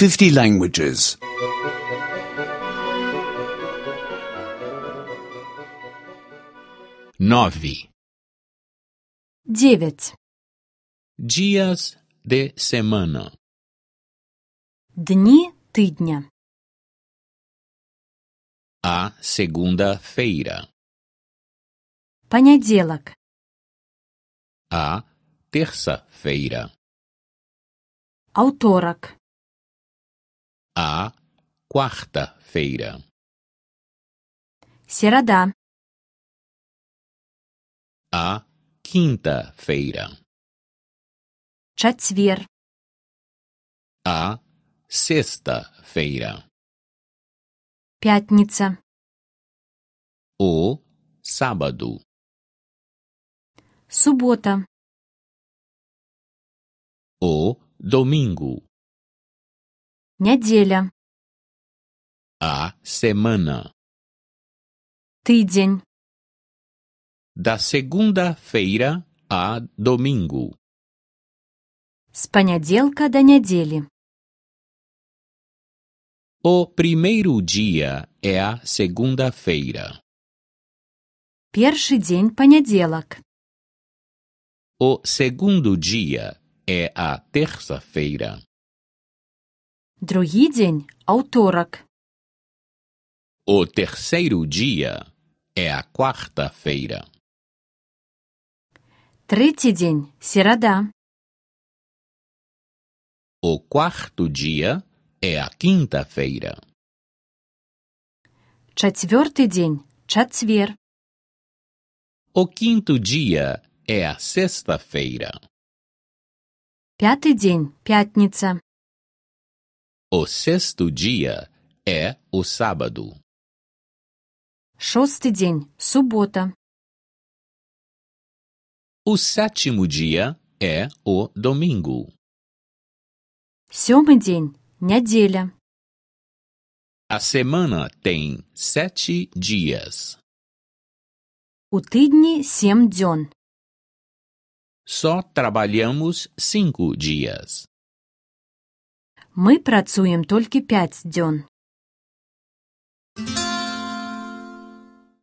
50 languages. 9. 9. Dias de semana. Дні тижня. A segunda-feira. Понеділок. A terça-feira. Авторок. A quarta-feira. Середа. A quinta-feira. Чацвер. A sexta-feira. Пятница. O sábado. Субота. O domingo. Нядзеля. A semana. Тыдзень. Da segunda-feira a domingo. З панядзелка да нядзелі. O primeiro dia é a segunda-feira. Першы дзень панядзелак. O segundo dia é a terça-feira. Другі дзень аўторак. O terceiro dia é a quarta-feira. Трэці дзень серада. O quarto dia é a quinta-feira. Чацвёрты дзень чацвер. O quinto dia é a sexta-feira. Пяты дзень пятніца. O sexto dia é o sábado. Шосты дзень субота. O sétimo dia é o domingo. Сёмы дзень нядзеля. A semana tem 7 dias. У тыдні 7 дзён. Só trabalhamos 5 dias. Мы працуем толькі 5 дзён.